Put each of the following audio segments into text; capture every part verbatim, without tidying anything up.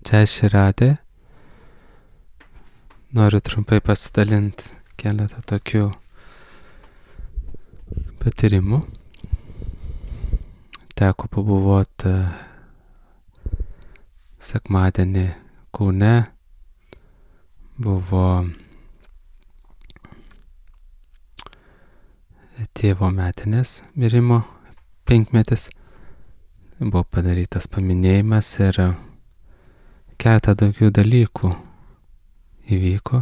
Čia Širadė. Noriu trumpai pasidalinti keletą tokių patyrimų. Teko pabuvoti sekmadienį Kaune. Buvo tėvo metinės mirimo penkmetis. Buvo padarytas paminėjimas ir keletą daugiau dalykų įvyko,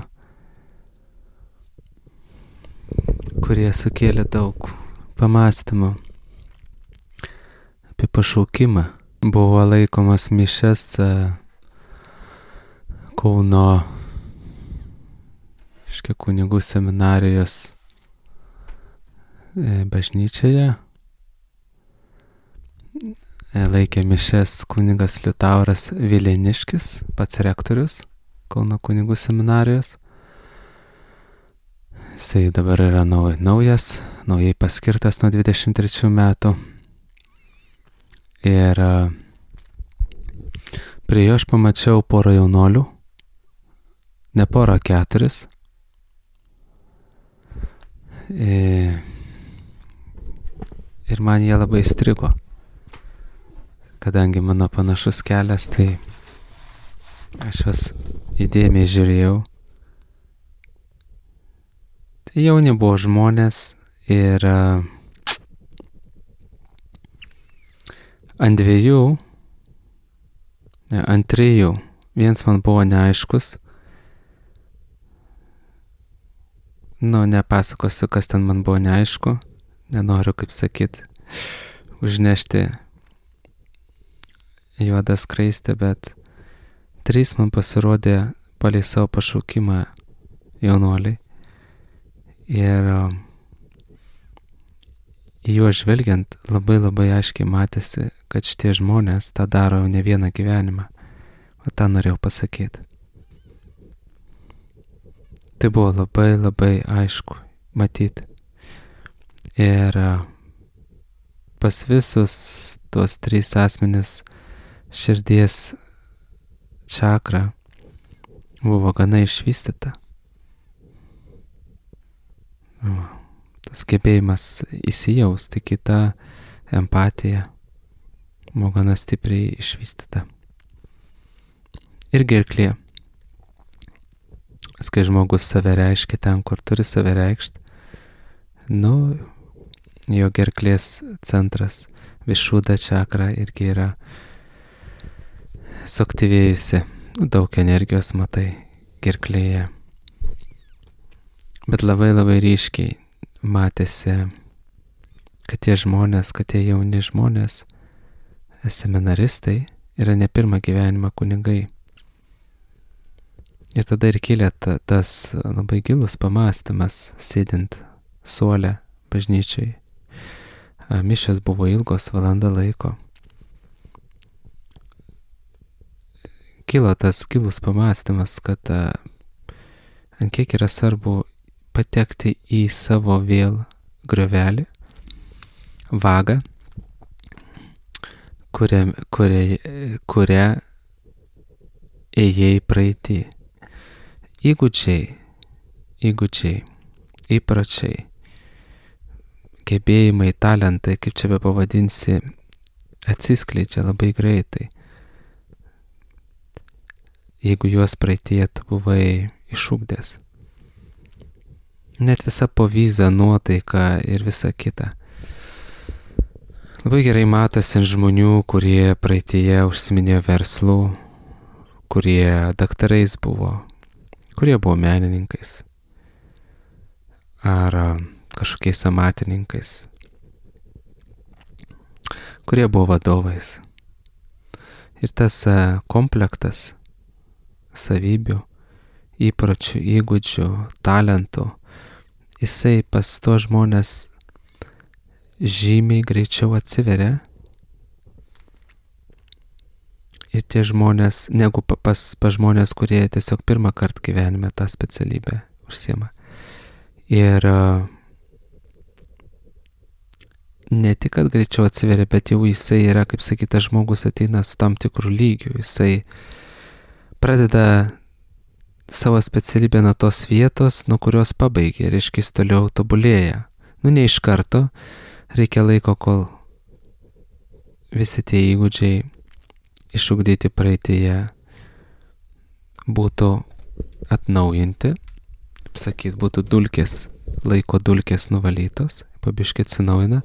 kurie sukėlė daug pamąstymų apie pašaukimą. Buvo laikomas mišias Kauno reiškia kunigų seminarijos bažnyčioje. Laikė mišias kunigas Liutauras Vileniškis, pats rektorius Kauno kunigų seminarijos. Jisai dabar yra naujas, naujai paskirtas nuo dvidešimt trečių metų. Ir prie jo aš pamačiau porą jaunolių, ne porą, keturis. Ir man jie labai įstrigo. Kadangi mano panašus kelias, tai aš juos įdėmiai žiūrėjau. Tai jauni buvo žmonės ir ant dviejų, ne, ant trijų, viens man buvo neaiškus. Nu, nepasakosiu, kas ten man buvo neaišku. Nenoriu, kaip sakyt, užnešti juodą skraistę, bet trys man pasirodė palei savo pašaukimą jaunuoliai. Ir į juos žvelgiant labai labai aiškiai matėsi, kad šitie žmonės tą daro jau ne vieną gyvenimą. O tą norėjau pasakyti. Tai buvo labai labai aišku matyti. Ir pas visus tuos trys asmenis širdies čakra buvo gana išvystyta. Tas gebėjimas įsijausti, kita empatija buvo gana stipriai išvystyta. Ir gerklė. Kai žmogus save reiškia ten, kur turi save reikšti, nu, jo gerklės centras, višuda čakra irgi yra suaktyvėjusi, daug energijos matai gerklėje. Bet labai labai ryškiai matėsi, kad tie žmonės, kad tie jauni žmonės, seminaristai, yra ne pirmą gyvenimą kunigai. Ir tada ir kilė ta, tas labai gilus pamąstymas, sėdint suole bažnyčiai. Mišios buvo ilgos, valanda laiko. Kilo tas gilus pamąstymas, kad a, ant kiek yra svarbu patekti į savo vėl griovelį, vagą, kurią, kurią, kurią ėjai praeitį. Įgūdžiai, įgūdžiai, įpročiai, gebėjimai, talentai, kaip čia be pavadinsi, atsiskleidžia labai greitai. Jeigu juos praeityje tu buvai išugdęs. Net visa povyza, nuotaika ir visa kita. Labai gerai matosi ant žmonių, kurie praeityje užsiminėjo verslų, kurie daktarais buvo, kurie buvo menininkais ar kažkokiais amatininkais, kurie buvo vadovais. Ir tas komplektas savybių, įpročių, įgūdžių, talentų, jisai pas to žmonės žymiai greičiau atsiveria. Ir tie žmonės, negu pas, pas žmonės, kurie tiesiog pirmą kartą gyvenime tą specialybę užsiema. Ir ne tik, kad greičiau atsiveria, bet jau jisai yra, kaip sakyta, žmogus ateina su tam tikrų lygių. Jisai pradeda savo specialybę nuo tos vietos, nuo kurios pabaigia, reiškia jis toliau tobulėja. Nu, ne iš karto, reikia laiko, kol visi tie įgūdžiai išugdyti praeitėje būtų atnaujinti, sakyt, būtų dulkės, laiko dulkės nuvalytos, pabiškai atsinaujina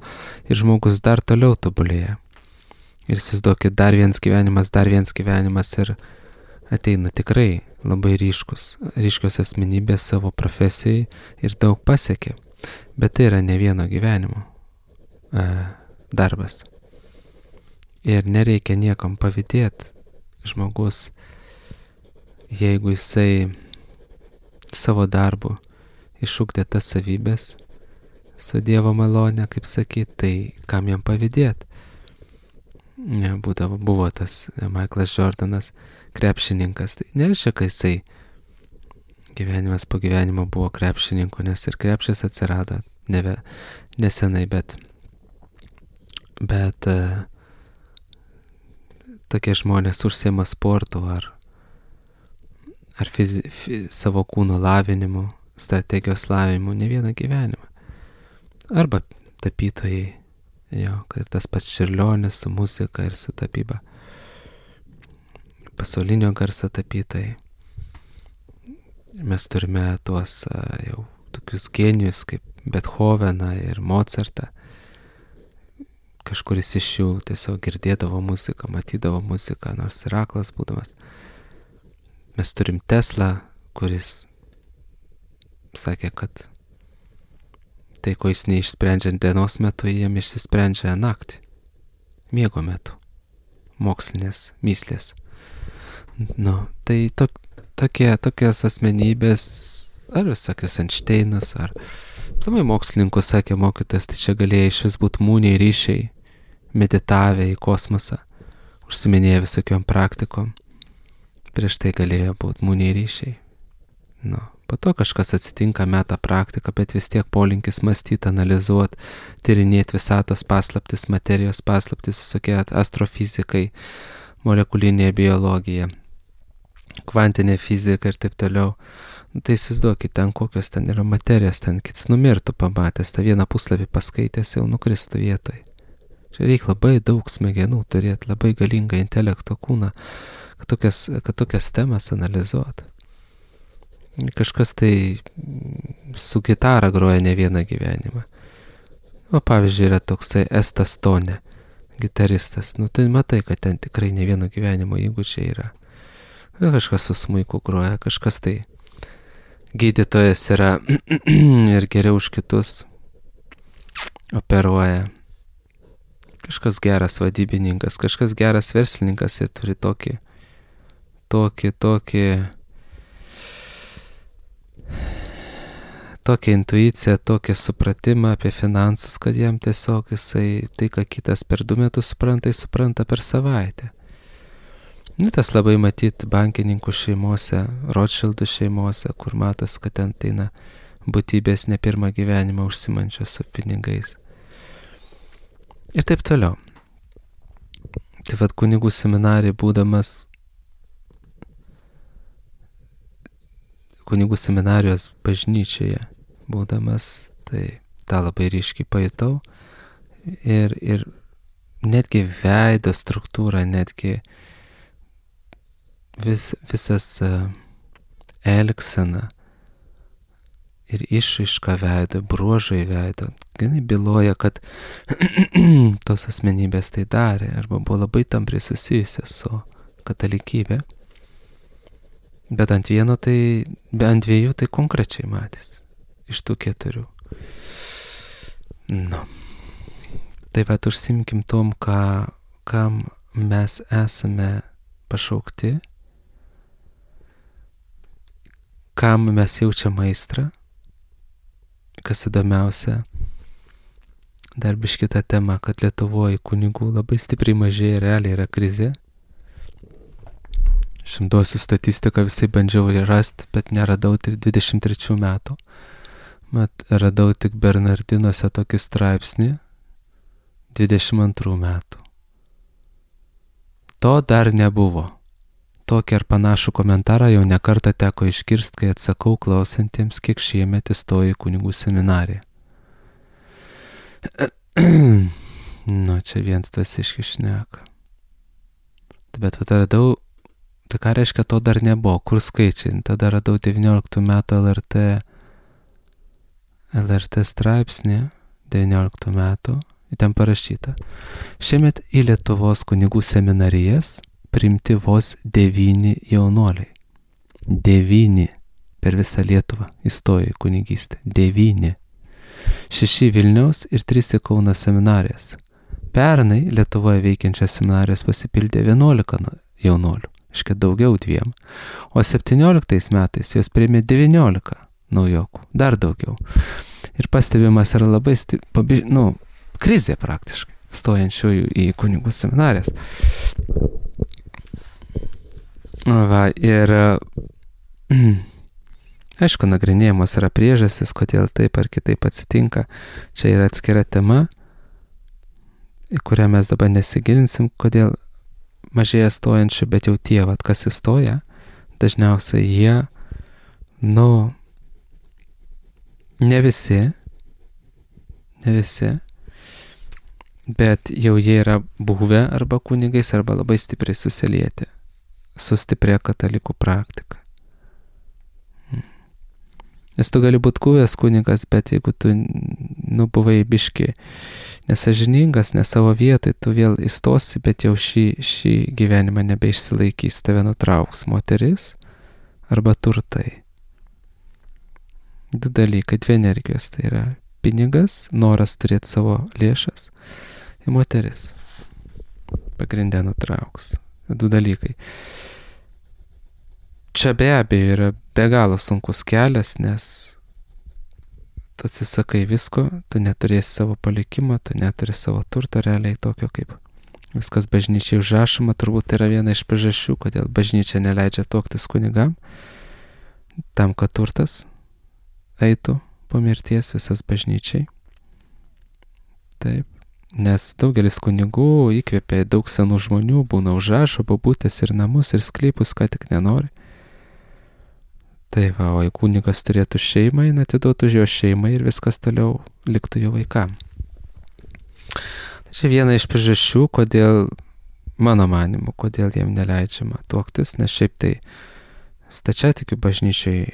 ir žmogus dar toliau tobulėja. Ir įsivaizduokit, dar vienas gyvenimas, dar vienas gyvenimas ir ateina tikrai labai ryškus, ryškios asmenybės savo profesijai ir daug pasiekė. Bet tai yra ne vieno gyvenimo e, darbas. Ir nereikia niekam pavydėti. Žmogus, jeigu jisai savo darbu išugdė tas savybės su Dievo malone, kaip sakyt, tai kam jam pavydėti? Būdavo, buvo tas Michaelas Jordanas, krepšininkas. Tai nereiškia, kad jisai gyvenimas po gyvenimo buvo krepšininku, nes ir krepšis atsirado neve, nesenai, bet, bet uh, tokie žmonės užsiema sportu ar, ar fizi, fi, savo kūno lavinimu, strategijos lavinimu ne vieną gyvenimą. Arba tapytojai, jo, ir tas pats Čiurlionis su muzika ir su tapyba. Pasaulinio garso tapytojai. Mes turime tuos uh, jau tokius genijus kaip Bethoveną ir Mozartą. Kažkuris iš jų tiesiog girdėdavo muziką, matydavo muziką, nors ir aklas būdamas. Mes turim Teslą, kuris sakė, kad tai, ko jis neišsprendžia dienos metu, jiem išsisprendžia naktį, miego metu, mokslinės myslės. Nu, tai to, tokie, tokios asmenybės, ar visokios Einšteinas, ar plamai mokslininkų sakė mokytas, tai čia galėjo iš vis būti mūniai ryšiai, meditavę į kosmosą, užsiminėję visokiom praktikom. Prieš tai galėjo būti mūniai ryšiai. Nu, po to kažkas atsitinka, meta praktiką, bet vis tiek polinkis mąstyti, analizuoti, tyrinėti visatos paslaptis, materijos paslaptis, visokie astrofizikai, molekulinė biologija, kvantinė fizika ir taip toliau. Nu, tai įsivaizduokit, ten kokios ten yra materijos, ten kits numirtų pamatęs, tą vieną puslapį paskaitęs jau nukristų vietoj. Čia reikia labai daug smegenų turėti, labai galingą intelekto kūną, kad tokias, kad tokias temas analizuoti. Kažkas tai su gitara groja ne vieną gyvenimą. O pavyzdžiui, yra toksai Estas Tone, gitaristas. Nu tai matai, kad ten tikrai ne vieno gyvenimo įgūdžiai yra. Kažkas su smuiku groja, kažkas tai gydytojas yra ir geriau už kitus operuoja. Kažkas geras vadybininkas, kažkas geras verslininkas ir turi tokį, tokį, tokį, tokią intuiciją, tokį supratimą apie finansus, kad jam tiesiog jisai tai, ką kitas per du metus supranta, jis supranta per savaitę. Nu, tas labai matyti bankininkų šeimose, Rothschildų šeimose, kur matas, kad ten ateina būtybės ne pirmą gyvenimą užsimančios su pinigais. Ir taip toliau. Tai vad kunigų seminarijai būdamas, kunigų seminarijos bažnyčioje būdamas, tai tą labai ryškiai pajutau. Ir, ir netgi veido struktūra, netgi vis, visas uh, elgsena ir išraiška veido, bruožai veido, ganai byloja, kad tos asmenybės tai darė arba buvo labai tampriai susijusios su katalikybė. Bet ant vieno tai, be ant dviejų tai konkrečiai matys iš tų keturių. Nu. Tai vat užsimkim tom, ką, kam mes esame pašaukti, kam mes jaučiam aistrą. Kas įdomiausia, dar biškį tą temą, kad Lietuvoje kunigų labai stipriai mažėja, realiai yra krizė. Šimduosiu statistiką visai bandžiau rasti, bet neradau tik dvidešimt trečių metų. Mat, radau tik Bernardinuose tokį straipsnį dvidešimt antrų metų. To dar nebuvo. tokį ar panašų komentarą jau nekartą teko išgirsti, kai atsakau klausantiems, kiek šiemet įstojo į kunigų seminariją. Nu, čia viens tas iškišneka. Bet tada radau, tai ką reiškia, to dar nebuvo, kur skaičiai. Tada radau devynioliktų metų L R T, L R T straipsnį, devynioliktų metų, ten parašyta. Šiemet į Lietuvos kunigų seminarijas priimti vos devyni jaunuoliai. Devyni per visą Lietuvą įstojo į kunigystę. Devyni. Šeši Vilniaus ir trys į Kauno seminarijas. Pernai Lietuvoje veikiančias seminarijas pasipildė vienuolika jaunuolių, iškia daugiau dviem. O septynioliktais metais jos priėmė devyniolika naujokų, dar daugiau. Ir pastebimas yra labai, sti... pabi... nu, krizė praktiškai, stojančiųjų į kunigų seminarijas. Va, ir aišku, nagrinėjamos yra priežastis, kodėl taip ar kitaip atsitinka. Čia yra atskira tema, į kurią mes dabar nesigilinsim, kodėl mažėja stojančių, bet jau tie, vat, kas įstoja, dažniausiai jie, nu, ne visi, ne visi, bet jau jie yra buvę arba kunigais, arba labai stipriai susilieti su stipria katalikų praktika. Nes tu gali būti buvęs kunigas, bet jeigu tu, nu, buvai biški nesažiningas, ne savo vietoj, tu vėl įstosi, bet jau šį, šį gyvenimą nebeišsilaikys, tave nutrauks moteris arba turtai. Du dalykai, dvi energijos, tai yra pinigas, noras turėti savo lėšas ir moteris. Pagrindę nutrauks. Du dalykai. Čia be abejo yra be galo sunkus kelias, nes tu atsisakai visko, tu neturėsi savo palikimo, tu neturi savo turto realiai tokio, kaip viskas bažnyčiai užrašoma. Turbūt tai yra viena iš priežasčių, kodėl bažnyčia neleidžia tuoktis kunigam, tam, kad turtas eitų po mirties visas bažnyčiai. Taip. Nes daugelis kunigų įkvėpė daug senų žmonių, būna užrašo babutės ir namus ir sklypus, ką tik nenori. Tai va, o jei kunigas turėtų šeimą, jis atiduotų jo šeimai ir viskas toliau liktų jo vaikam. Tai čia viena iš priežasčių, kodėl, mano manimu, kodėl jiem neleidžiama tuoktis, nes šiaip tai stačiatikių bažnyčiai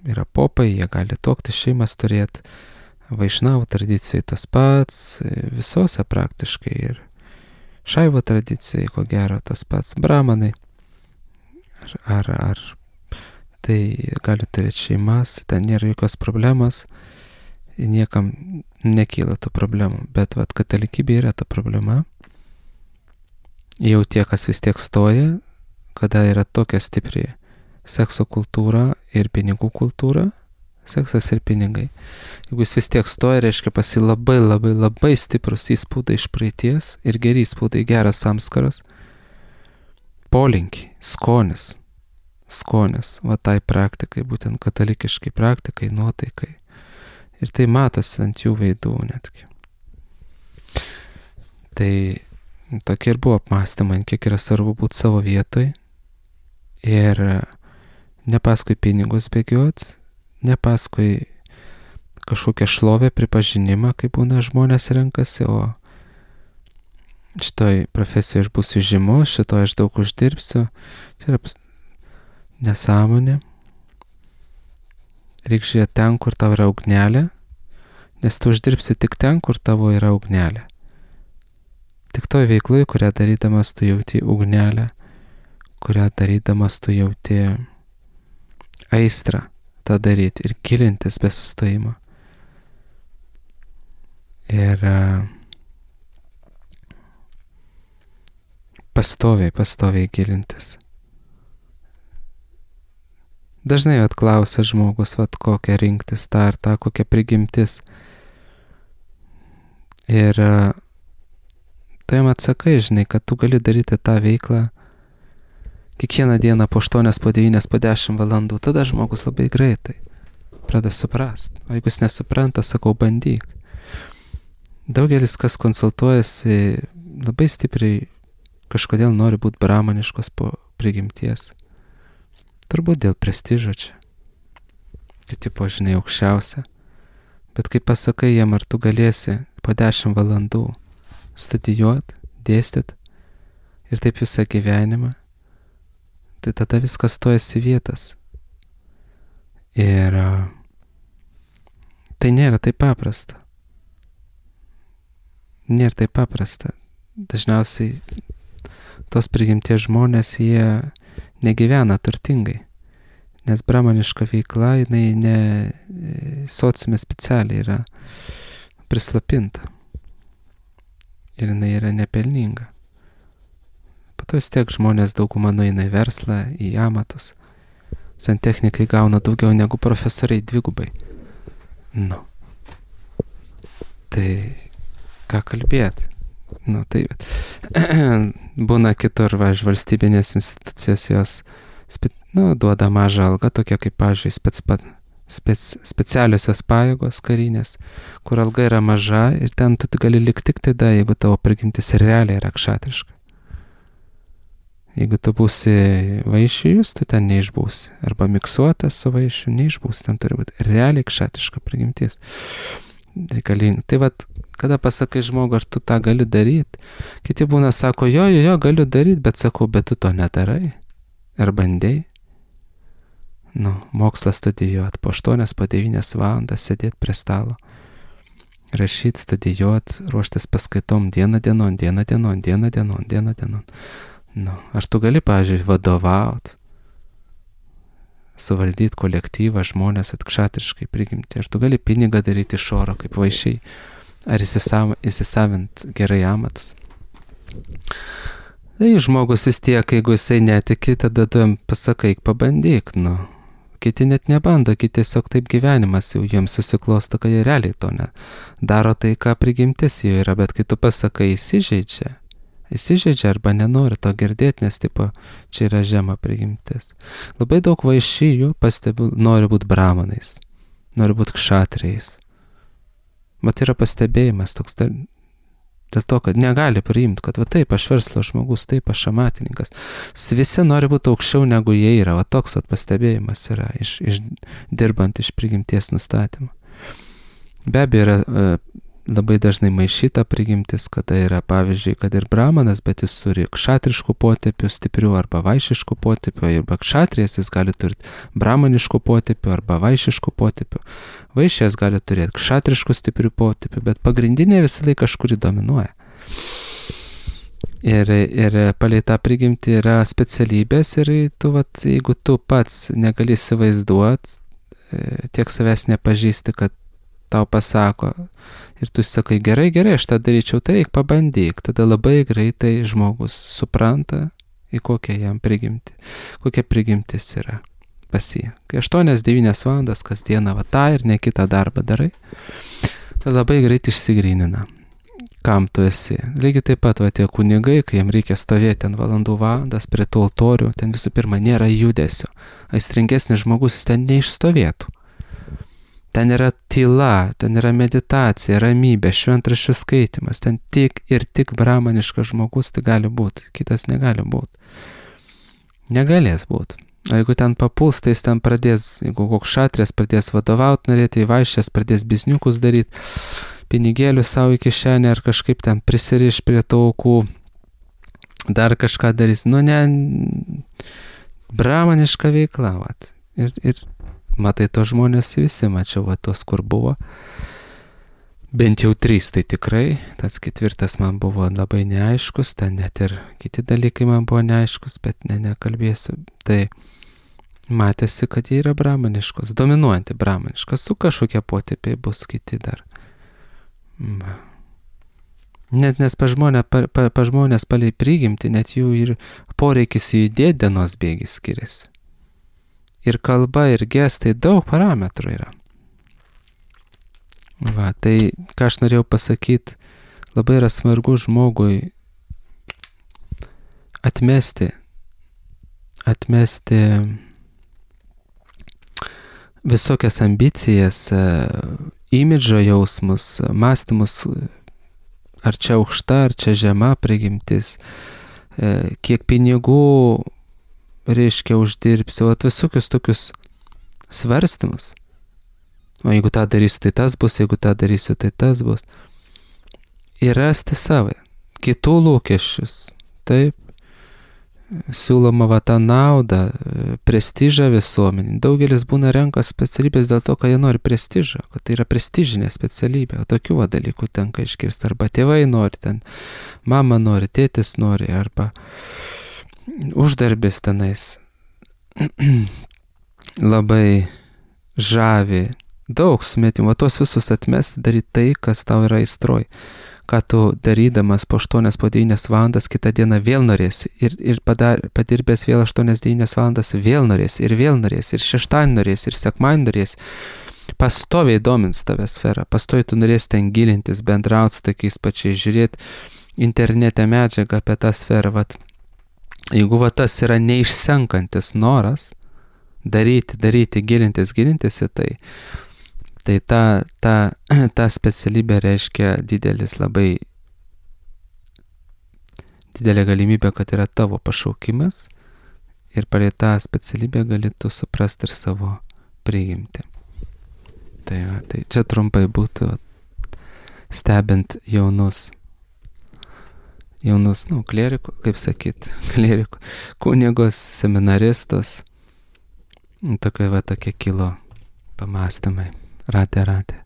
yra popai, jie gali tuoktis, šeimas turėti. Vaišnavų tradicijai tas pats, visose praktiškai ir šaivo tradicijai, ko gero, tas pats, bramanai. Ar, ar, ar tai gali turėti šeimas, ten nėra jokios problemos, niekam nekyla tų problemų. Bet vat, katalikybė yra ta problema. Jau tie, kas vis tiek stoja, kada yra tokia stipri sekso kultūra ir pinigų kultūra, seksas ir pinigai. Jeigu jis vis tiek stoja, reiškia pasi labai labai labai stiprus įspūdai iš praeities ir geri įspūdai, geras samskaras, polinkiai, skonis, skonis, va tai praktikai, būtent katalikiškai praktikai, nuotaikai. Ir tai matosi ant jų veidų netgi. Tai tokie ir buvo apmąstymai, kiek yra svarbu būti savo vietoj ir ne paskui pinigus bėgiot, ne paskui kažkokią šlovę, pripažinimą, kaip būna žmonės renkasi, o šitoj profesijoje aš būsiu žymus, šitoj aš daug uždirbsiu. Tai yra nesąmonė. Reikia žiūrėti ten, kur tavo yra ugnelė, nes tu uždirbsi tik ten, kur tavo yra ugnelė. Tik toj veiklai, kurią darydamas tu jauti ugnelę, kurią darydamas tu jauti aistrą tą daryti ir gilintis be sustojimo. Ir pastoviai, pastoviai gilintis. Dažnai atklausia žmogus, vat kokią rinktis, tą ar tą, kokią prigimtis. Ir tu jam atsakai, žinai, kad tu gali daryti tą veiklą kiekvieną dieną po aštuonias, po devynias, po dešimt valandų, tada žmogus labai greitai pradeda suprast. O jeigu jis nesupranta, sakau, bandyk. Daugelis, kas konsultuojasi, labai stipriai kažkodėl nori būti bramaniškos po prigimties. Turbūt dėl prestižo čia. Kiti požiniai aukščiausia. Bet kai pasakai jam, ar tu galėsi po dešimt valandų studijuoti, dėstyti ir taip visą gyvenimą, tai tada viskas stojasi vietas. Ir tai nėra taip paprasta. Nėra taip paprasta. Dažniausiai tos prigimties žmonės, jie negyvena turtingai. Nes bramaniška veikla, jinai ne sociume specialiai yra prislopinta. Ir jinai yra nepelninga. Po to vis tiek žmonės dauguma nueina į verslą, į amatus. Santechnikai gauna daugiau negu profesoriai dvigubai. Nu. Tai ką kalbėti? Nu, tai būna kitur, va, valstybinės institucijos jos spe, nu, duoda mažą algą, tokia kaip, pavyzdžiui, spec, spec, specialiosios pajėgos karinės, kur alga yra maža ir ten tu gali likti tik tada, jeigu tavo prigimtis realiai yra kšatriška. Jeigu tu būsi vaišijus, tu ten neišbūsi. Arba miksuotas su vaišiu, neišbūsi, ten turi būti realiai kšatriška prigimtis. Reikalinga. Tai vat, kada pasakai žmogui, ar tu tą gali daryti, kiti būna sako, jo, jo, jo, galiu daryti, bet sakau, bet tu to nedarai. Ar bandėjai? Nu, mokslą studijuoti po aštuonias, po devynias valandas sėdėti prie stalo. Rašyti, studijuoti, ruoštis paskaitom dieną dienon, dieną dienon, dieną dienon, dieną dienon. Nu, ar tu gali, pavyzdžiui, vadovauti, suvaldyti kolektyvą, žmonės atkšatriškai prigimti, ar tu gali pinigą daryti iš oro kaip vaišiai, ar įsisav, įsisavint gerai amatus. Tai žmogus vis tiek, jeigu jisai netiki, tada tu jam pasakai, pabandyk, nu. Kiti net nebando, kiti tiesiog taip gyvenimas jau jiems susiklosto, kad jie realiai to ne. Daro tai, ką prigimtis jų yra, bet kai tu pasakai, įsižeidžia. Įsižeidžia arba nenori to girdėti, nes tipo, čia yra žema prigimtis. Labai daug vaišijų, pastebiu, nori būti bramanais, nori būti kšatriais. Mat yra pastebėjimas toks dėl, dėl to, kad negali priimti, kad va taip, aš verslo žmogus, taip, aš amatininkas. Visi nori būti aukščiau negu jie yra, va toks va pastebėjimas yra, iš, iš, dirbant iš prigimties nustatymą. Be abejo yra uh, labai dažnai maišyta prigimtis, kada yra, pavyzdžiui, kad ir bramanas, bet jis turi kšatriškų potėpių stiprių arba vaišiškų potėpių, arba kšatrijas jis gali turėti bramaniškų potėpių arba vaišiškų potėpių. Vaišės gali turėti kšatriškų stiprių potėpių, bet pagrindinė visą laiką kažkuri dominuoja. Ir, ir palei tą prigimtį yra specialybės ir tu, vat, jeigu tu pats negali įsivaizduoti, tiek savęs nepažįsti, kad tau pasako ir tu sakai, gerai, gerai, aš tą daryčiau, tai eik pabandyk, tada labai greitai žmogus supranta, į kokią jam prigimti, kokia prigimtis yra pas jį. Kai aštuonias devynias valandas kasdieną va tą ir ne kitą darbą darai, tai labai greit išsigrynina, kam tu esi. Lygiai taip pat va tie kunigai, kai jam reikia stovėti ant valandų valandas prie tų altorių, ten visų pirma nėra judesio. Aistringesnis žmogus jis ten neišstovėtų. Ten yra tyla, ten yra meditacija, ramybė, šventraščių skaitimas. Ten tik ir tik bramaniškas žmogus tai gali būti, kitas negali būti. Negalės būti. O jeigu ten papuls, tai jis ten pradės, jeigu koks šatrės pradės vadovauti, norėti į vaišės, pradės bizniukus daryti, pinigėlių savo į kišenę ar kažkaip ten prisiriš prie taukų, dar kažką darys. Nu ne, bramaniška veikla, vat. Ir, ir matai, to žmonės visi, mačiau, va, tos, kur buvo. Bent jau trys, tai tikrai. Tas ketvirtas man buvo labai neaiškus, ten net ir kiti dalykai man buvo neaiškus, bet ne, nekalbėsiu. Tai matėsi, kad jie yra bramaniškos, dominuojanti bramaniškas, su kažkokie potėpiai bus kiti dar. Net nes pa, žmonė, pa, pa, pa žmonės palei prigimti, net jų ir poreikis judėti dienos bėgis skiriasi. Ir kalba, ir gestai, daug parametrų yra. Va, tai, ką aš norėjau pasakyti, labai yra svarbu žmogui atmesti, atmesti visokias ambicijas, imidžo jausmus, mąstymus, ar čia aukšta, ar čia žema prigimtis, kiek pinigų, reiškia, uždirbsiu, o visokius tokius svarstymus. O jeigu tą darysiu, tai tas bus, jeigu tą darysiu, tai tas bus. Ir rasti savo, kitų lūkesčius, taip, siūloma va tą naudą, prestižą visuomenį. Daugelis būna renka specialybės dėl to, kad jie nori prestižą, kad tai yra prestižinė specialybė, o tokių va dalykų tenka iškirsti. Arba tėvai nori, ten mama nori, tėtis nori, arba uždarbis tenais labai žavi, daug sumetimų, o tuos visus atmesti, daryti tai, kas tau yra aistroj. Ką tu darydamas po aštuonias, po devynias valandas, kitą dieną vėl norėsi. Ir, ir padar, padirbęs vėl aštuonias, devynias valandas vėl norėsi. Ir vėl norėsi. Ir šeštadienį norėsi. Ir sekmadienį norėsi. Pastoviai domins tave sferą. Pastoviai tu norėsi ten gilintis, bendrauti su tokiais pačiais, žiūrėti internete medžiagą apie tą sferą. Vat, jeigu va tas yra neišsenkantis noras daryti, daryti, gilintis, gilintis į tai, tai ta, ta, ta specialybė reiškia didelis labai, didelė galimybė, kad yra tavo pašaukimas ir palei tą specialybę gali tu suprasti ir savo prigimtį. Tai, va, tai čia trumpai būtų stebint jaunus, jaunus, nu, klierikų, kaip sakyt, klierikų, kunigus, seminaristus, tokie va tokie kilo pamastymai. Ratė, ratė.